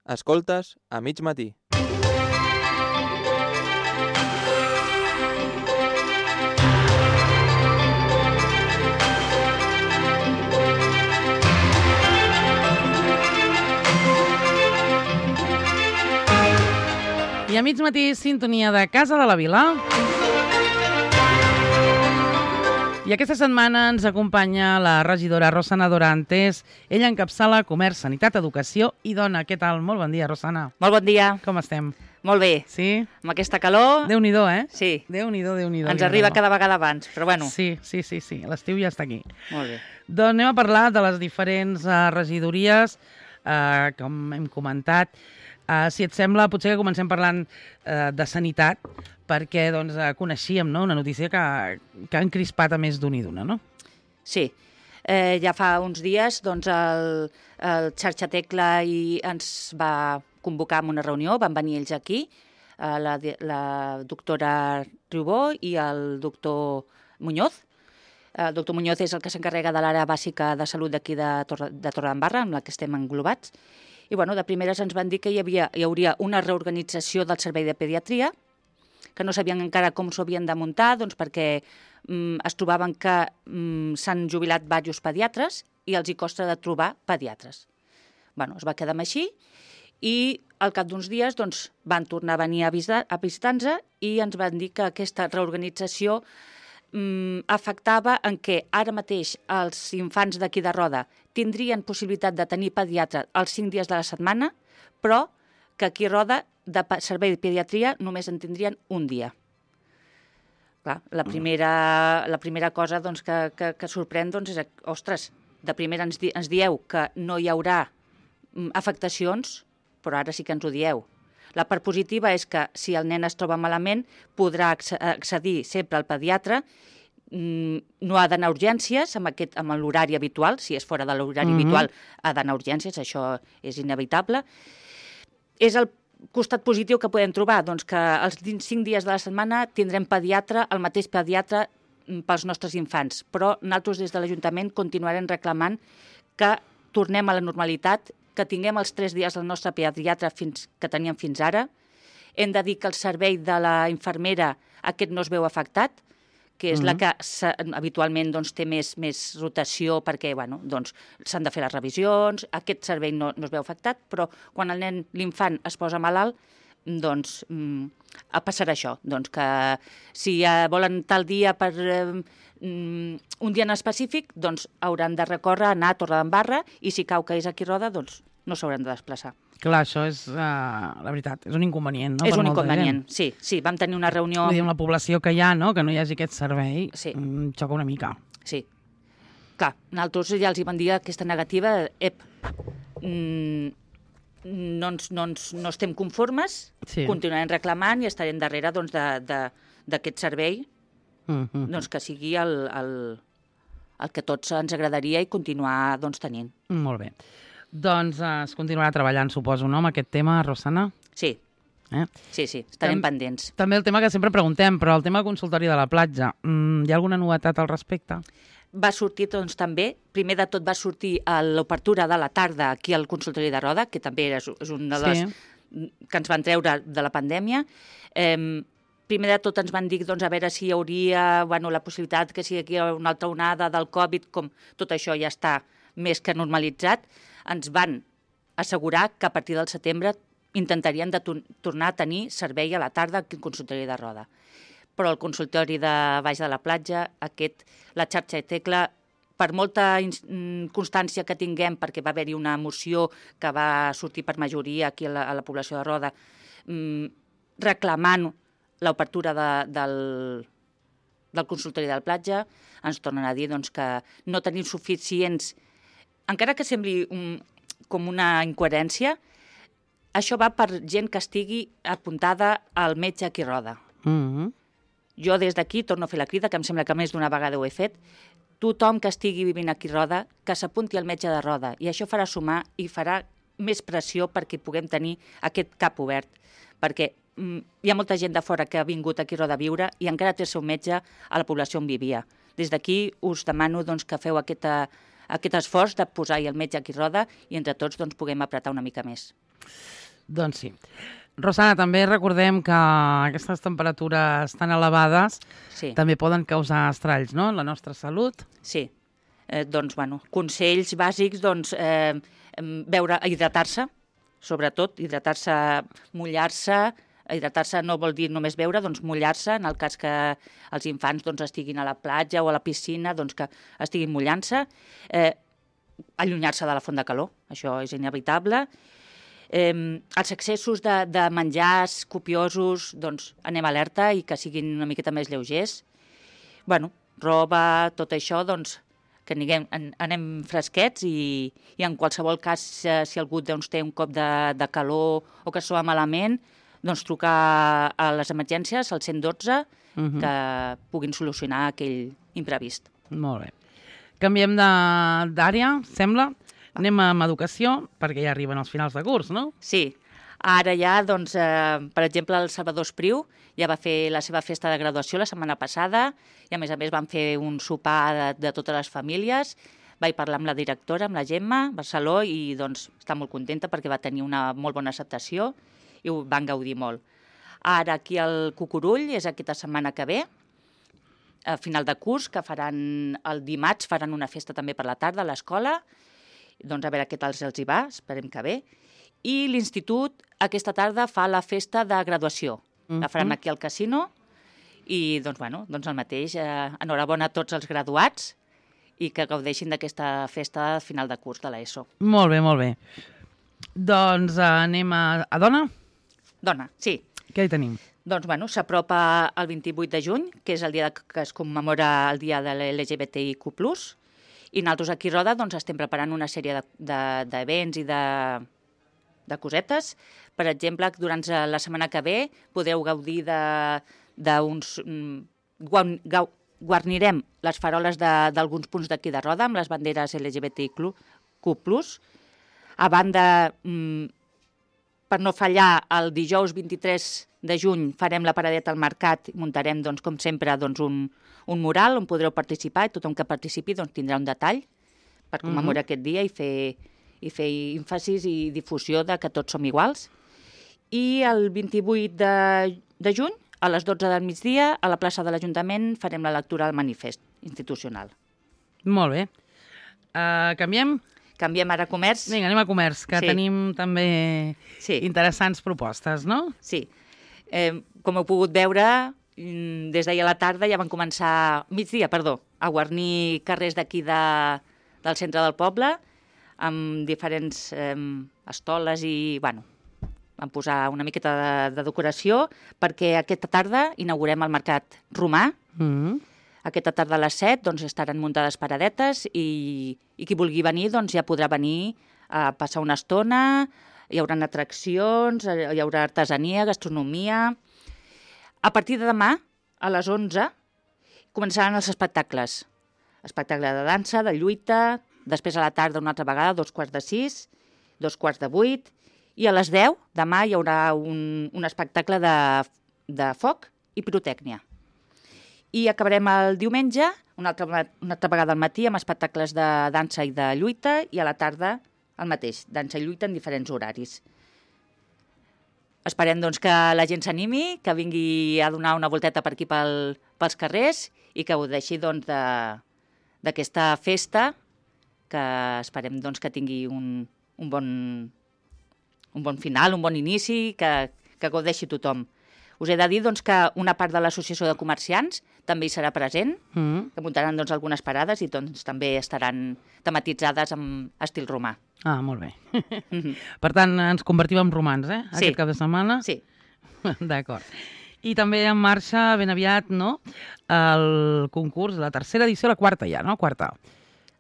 Escoltes a mig matí. I a mig matí, sintonia de Casa de la Vila. I aquesta setmana ens acompanya la regidora Rosana Dorantes. Ella encapçala Comerç, Sanitat, Educació i Dona. Què tal? Molt bon dia, Rosana. Molt bon dia. Com estem? Molt bé. Sí? Amb aquesta calor... Déu-n'hi-do, eh? Sí. Déu-n'hi-do, Déu-n'hi-do. Ens arriba cada vegada abans, però bueno. Sí. L'estiu ja està aquí. Molt bé. Doncs anem a parlar de les diferents regidories, com hem comentat. Si et sembla, potser que comencem parlant de sanitat, perquè doncs, coneixíem, no?, una notícia que ha encrispat a més d'un i d'una, no? Sí. Ja fa uns dies doncs, el Xarxa Tecla ens va convocar a una reunió, van venir ells aquí, la doctora Riubó i el doctor Muñoz. El doctor Muñoz és el que s'encarrega de l'àrea bàsica de salut d'aquí de Torredembarra, amb la que estem englobats. I bueno, de primeres ens van dir que hi hauria una reorganització del servei de pediatria, que no sabien encara com s'ho havien de muntar, doncs perquè es trobaven que s'han jubilat diversos pediatres i els hi costa de trobar pediatres. Bueno, es va quedar així i al cap d'uns dies doncs, van tornar a venir a visitar-nos i ens van dir que aquesta reorganització afectava en què ara mateix els infants d'aquí de Roda tindrien possibilitat de tenir pediatre els 5 dies de la setmana, però que aquí a Roda de servei de pediatria només en tindrien un dia. Clar, la primera cosa doncs, que sorprèn doncs, és, ostres, de primera ens dieu que no hi haurà afectacions, però ara sí que ens ho dieu. La part positiva és que si el nen es troba malament podrà accedir sempre al pediatre, no ha d'anar a urgències amb l'horari habitual, si és fora de l'horari habitual ha d'anar a urgències, això és inevitable. És el costat positiu que podem trobar, doncs que els 5 dies de la setmana tindrem pediatre, el mateix pediatre pels nostres infants, però nosaltres des de l'Ajuntament continuarem reclamant que tornem a la normalitat, que tinguem els 3 dies del nostre pediatre que teníem fins ara. Hem de dir que el servei de la infermera aquest no es veu afectat, que és la que habitualment doncs, té més rotació perquè bueno, doncs, s'han de fer les revisions, aquest servei no es veu afectat, però quan l'infant es posa malalt, doncs passarà això, doncs que si volen tal dia per un dia en específic, doncs hauran de recórrer, anar a Torredembarra i si cau que és aquí Roda, doncs no s'hauran de desplaçar. Clar, això és, la veritat, és un inconvenient, no? És un inconvenient, sí. Vam tenir una reunió... Vull dir, amb la població que hi ha, no?, que no hi hagi aquest servei, xoca una mica. Sí. Clar, nosaltres ja els hi vam dir aquesta negativa, no estem conformes, continuarem reclamant i estarem darrere doncs, d'aquest servei, doncs, que sigui el que tots ens agradaria i continuar doncs, tenint. Molt bé. Doncs es continuarà treballant, suposo, no?, amb aquest tema, Rosana? Sí. Sí, estarem pendents. També el tema que sempre preguntem, però el tema del consultori de la platja, hi ha alguna novetat al respecte? Va sortir, doncs, també, primer de tot va sortir a l'obertura de la tarda aquí al consultori de Roda, que també és una de les que ens van treure de la pandèmia. Primer de tot ens van dir doncs, a veure si hi hauria la possibilitat que si hi ha una altra onada del Covid, com tot això ja està més que normalitzat, ens van assegurar que a partir del setembre intentarien de tornar a tenir servei a la tarda aquí al consultori de Roda. Però el consultori de Baix de la Platja, la xarxa Tecla, per molta constància que tinguem, perquè va haver-hi una moció que va sortir per majoria aquí a la població de Roda, reclamant l'obertura del consultori de la platja, ens tornen a dir doncs, que no tenim suficients. Encara que sembli com una incoherència, això va per gent que estigui apuntada al metge aquí a Roda. Jo des d'aquí torno a fer la crida, que em sembla que més d'una vegada ho he fet, tothom que estigui vivint aquí a Roda, que s'apunti al metge de Roda, i això farà sumar i farà més pressió perquè puguem tenir aquest cap obert, perquè hi ha molta gent de fora que ha vingut aquí a Roda a viure i encara té el seu metge a la població on vivia. Des d'aquí us demano doncs, que feu aquest esforç de posar-hi el metge aquí a Roda i entre tots doncs, puguem apretar una mica més. Doncs sí. Rosana, també recordem que aquestes temperatures tan elevades Sí, també poden causar estralls, no?, en la nostra salut. sí. Doncs, bueno, consells bàsics, doncs, hidratar-se, sobretot, hidratar-se, mullar-se. Hidratar-se no vol dir només beure, doncs mullar-se, en el cas que els infants doncs, estiguin a la platja o a la piscina, doncs que estiguin mullant-se. Allunyar-se de la font de calor, això és inevitable. Els excessos de menjars copiosos, doncs anem alerta i que siguin una miqueta més lleugers. Bueno, roba, tot això, doncs que anem fresquets i en qualsevol cas, si algú doncs, té un cop de calor o que es troba malament, doncs trucar a les emergències, al 112, que puguin solucionar aquell imprevist. Molt bé. Canviem d'àrea, sembla. Anem amb educació, perquè ja arriben els finals de curs, no? Sí, ara ja, doncs, per exemple, el Salvador Espriu ja va fer la seva festa de graduació la setmana passada i, a més, van fer un sopar de totes les famílies. Vaig parlar amb la directora, amb la Gemma Barceló, i doncs, està molt contenta perquè va tenir una molt bona acceptació i ho van gaudir molt. Ara aquí al Cucurull és aquesta setmana que ve, a final de curs, que faran el dimarts, faran una festa també per la tarda a l'escola. Doncs a veure què tal els hi va, esperem que bé. I l'institut aquesta tarda fa la festa de graduació. La faran aquí al casino i doncs, bueno, doncs el mateix. Enhorabona a tots els graduats i que gaudeixin d'aquesta festa final de curs de l'ESO. Molt bé, molt bé. Doncs anem a dona? Dona, sí. Què hi tenim? Doncs, bueno, s'apropa el 28 de juny, que és el dia que es commemora el dia de l'LGBTIQ+, i nosaltres aquí a Roda doncs, estem preparant una sèrie d'events i de cosetes. Per exemple, durant la setmana que ve podreu gaudir d'uns... Guarnirem les faroles d'alguns punts d'aquí de Roda amb les banderes LGBTIQ+. A banda, per no fallar, el dijous 23 de juny farem la paradeta al mercat i muntarem, doncs, com sempre, doncs, un mural on podreu participar i tothom que participi doncs, tindrà un detall per commemorar aquest dia i fer èmfasis i difusió de que tots som iguals. I el 28 de juny, a les 12 del migdia, a la plaça de l'Ajuntament farem la lectura del manifest institucional. Molt bé. Canviem? Canviem ara a comerç. Vinga, anem a comerç, que tenim també interessants propostes, no? Sí. Com heu pogut veure, des d'ahir a la tarda ja van començar, migdia, perdó, a guarnir carrers d'aquí del centre del poble amb diferents estoles i, bueno, van posar una miqueta de decoració perquè aquesta tarda inaugurem el Mercat Romà. Aquesta tarda a les 7 doncs, estaran muntades paradetes i qui vulgui venir doncs, ja podrà venir a passar una estona. Hi haurà atraccions, hi haurà artesania, gastronomia. A partir de demà, a les 11, començaran els espectacles. Espectacle de dansa, de lluita, després a la tarda una altra vegada, 5:45, 7:45, i a les 10, demà, hi haurà un espectacle de foc i pirotècnia. I acabarem el diumenge, una altra vegada al matí, amb espectacles de dansa i de lluita, i a la tarda el mateix, dansa i lluita en diferents horaris. Esperem doncs, que la gent s'animi, que vingui a donar una volteta per aquí pels carrers i que gaudeixi doncs, d'aquesta festa, que esperem doncs, que tingui un bon final, un bon inici, que gaudeixi tothom. Us he de dir doncs, que una part de l'Associació de Comerciants també hi serà present, que muntaran doncs, algunes parades i doncs, també estaran tematitzades amb estil romà. Ah, molt bé. Per tant, ens convertim en romans, aquest cap de setmana? Sí. D'acord. I també en marxa ben aviat, no?, el concurs, la tercera edició, la quarta ja, no? Quarta.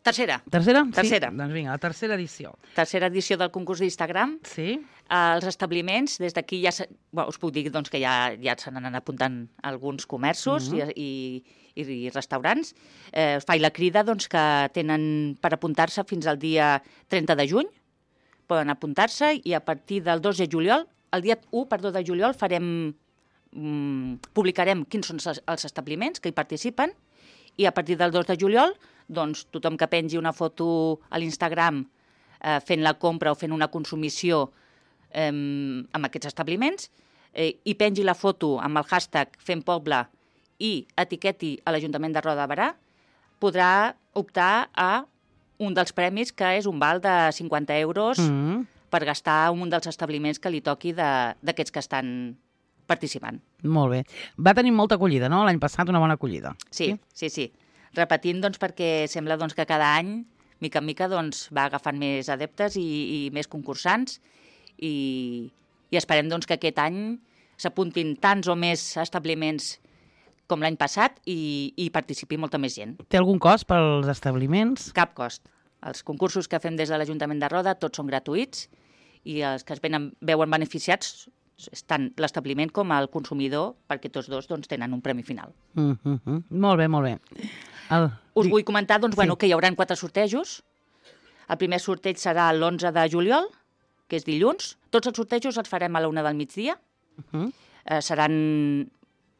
Tercera. Tercera? Tercera. Sí? Doncs vinga, la tercera edició. Tercera edició del concurs d'Instagram. Sí. Els establiments, des d'aquí ja us puc dir doncs, que ja se n'han apuntant alguns comerços i restaurants. Faig la crida doncs, que tenen per apuntar-se fins al dia 30 de juny. Poden apuntar-se i a partir del 2 de juliol, el dia 1 de juliol, publicarem quins són els establiments que hi participen i a partir del 2 de juliol doncs, tothom que pengi una foto a l'Instagram fent la compra o fent una consumició amb aquests establiments i pengi la foto amb el hashtag Fem Poble i etiqueti a l'Ajuntament de Roda de Berà, podrà optar a un dels premis, que és un val de 50 euros per gastar a un dels establiments que li toqui d'aquests que estan participant. Molt bé. Va tenir molta acollida, no? L'any passat una bona acollida. Sí. Repetint, doncs, perquè sembla doncs, que cada any, mica en mica, doncs, va agafant més adeptes i més concursants i esperem doncs, que aquest any s'apuntin tants o més establiments com l'any passat i participi molta més gent. Té algun cost pels establiments? Cap cost. Els concursos que fem des de l'Ajuntament de Roda tots són gratuïts i els que es veuen beneficiats tant l'establiment com el consumidor, perquè tots dos doncs, tenen un premi final. Molt bé, molt bé. Us vull comentar doncs, que hi haurà 4 sortejos. El primer sorteig serà l'11 de juliol, que és dilluns. Tots els sortejos els farem a la 1 del migdia. Seran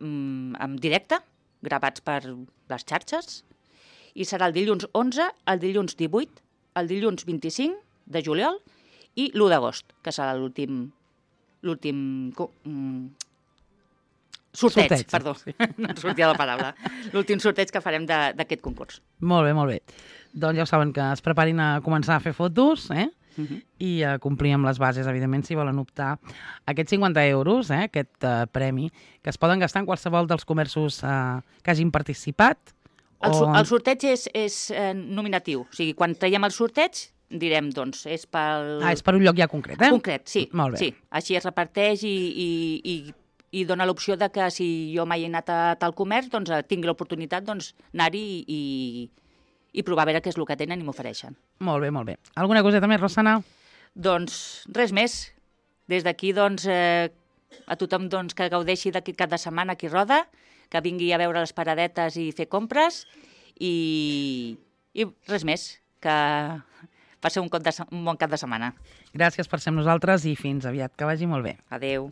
en directe, gravats per les xarxes, i serà el dilluns 11, el dilluns 18, el dilluns 25 de juliol i l'1 d'agost, que serà l'últim sorteig, perdó, no em sortia la paraula, l'últim sorteig que farem d'aquest concurs. Molt bé, molt bé. Doncs ja ho saben, que es preparin a començar a fer fotos, i a complir amb les bases, evidentment, si volen optar a aquests 50 euros, aquest premi, que es poden gastar en qualsevol dels comerços que hagin participat. El sorteig és nominatiu, o sigui, quan traiem el sorteig, direm, doncs, és pel... és per un lloc ja concret, Concret, sí. Molt bé. Sí. Així es reparteix i dona l'opció de que si jo mai he anat a tal comerç, doncs tingui l'oportunitat d'anar-hi i provar a veure què és el que tenen i m'ofereixen. Molt bé, molt bé. Alguna coseta més, Rosana? Doncs res més. Des d'aquí, doncs, a tothom doncs, que gaudeixi d'aquest cap de setmana aquí a Roda, que vingui a veure les paradetes i fer compres i res més, que passeu un bon cap de setmana. Gràcies per ser amb nosaltres i fins aviat. Que vagi molt bé. Adéu.